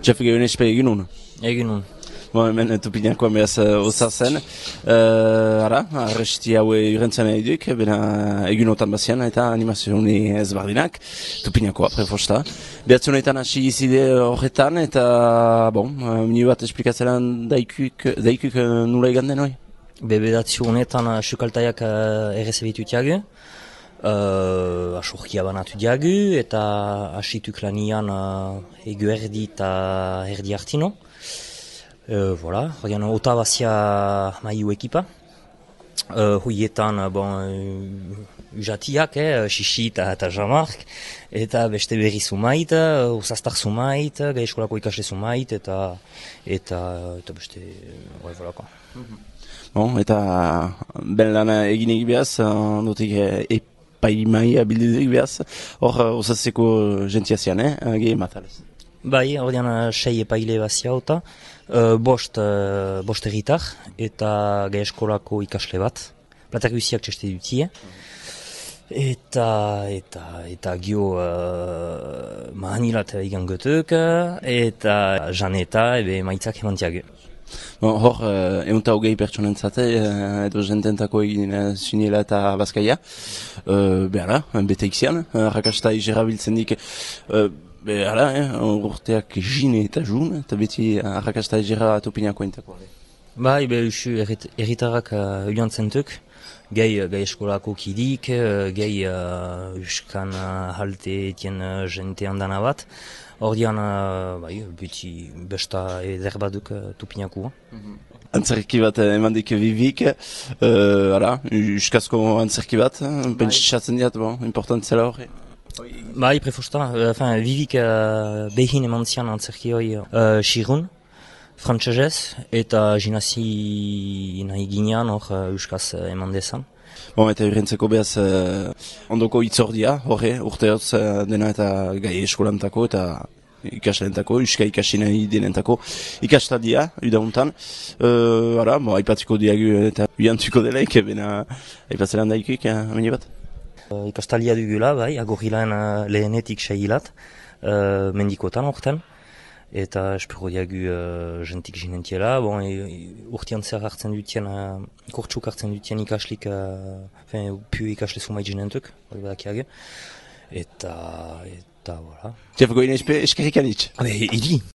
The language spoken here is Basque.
Jeff Gehonespe egin nun. Egin nun. Hemen Tupinakoan behaz oza zen. Arresti haue urentzen eduk, bena egunotan bazian eta animazioni ezbardinak. Tupinakoa, prefosta. Behatzunetan hasi izide horretan eta, mini bat esplikatzelan daikuk nula egan den hoi? Bebedatzu honetan sukaltaiak errezebitu tiagu. Asurkia banatu diagu eta asituk lanian egu erdi eta erdi hartino. Horian otavazia maiu ekipa. Hoietan, usatiak, Xixi eta Jean-Marc, eta beste berri zumait, osastar zumait, gai eskolako ikasle zumait, eta beste, volako. Eta ben lana egin egibeaz, ondotik epaimai abildu egibeaz, hor osatzeko gentiazian, gehi matalez. Bai, ordean 6 epaile bazia eta bost erritar eta gai eskolako ikasle bat. Platak guziak txeste dutie. Eta gio mahanilat igan gotuk eta janeta ebe maitzak emantiago. Hor, eunta hogei pertsonentzate, edo jententako egin zuniela eta bazkaia. Bete ixian, rakasta izerabiltzen dik. Urteak jine eta jun, eta beti arrakasta egera Tupinako entako. Bai, usu erritarrak joan zentuk, gai eskolako kidik, gai uskan halte etien jente handana bat, ordean beti besta eder baduk Tupinako. Antzerki bat emandik Vivik, uskazko antzerki bat, pentsatzen diat, importantzela horre. Bai, prefosta. Vivik behin eman zian antzerki hoi xirun, frantsesez, eta jinazi nahi ginean hor euskaz eman dezan. Eta urrentzeko behaz ondoko itzordia, horre, urteoz dena eta gai eskolantako eta ikaslentako, euska ikasi nahi denentako ikastadia, udauntan. Aipatiko diagu eta uiantuko delaik, bena aipatzelan daikuik, amene bat? Ikastalia dugula, bai, agorrilan lehenetik seilat, mendikotan orten, eta espero diagu jentik jinentiela, urtean zer hartzen dutien, kurtsuk hartzen dutien ikaslik, pu ikasle sumait jinentuk, hori badakiago, eta, voilà. Jeff Gehonespe eskerrik anitz. Idi!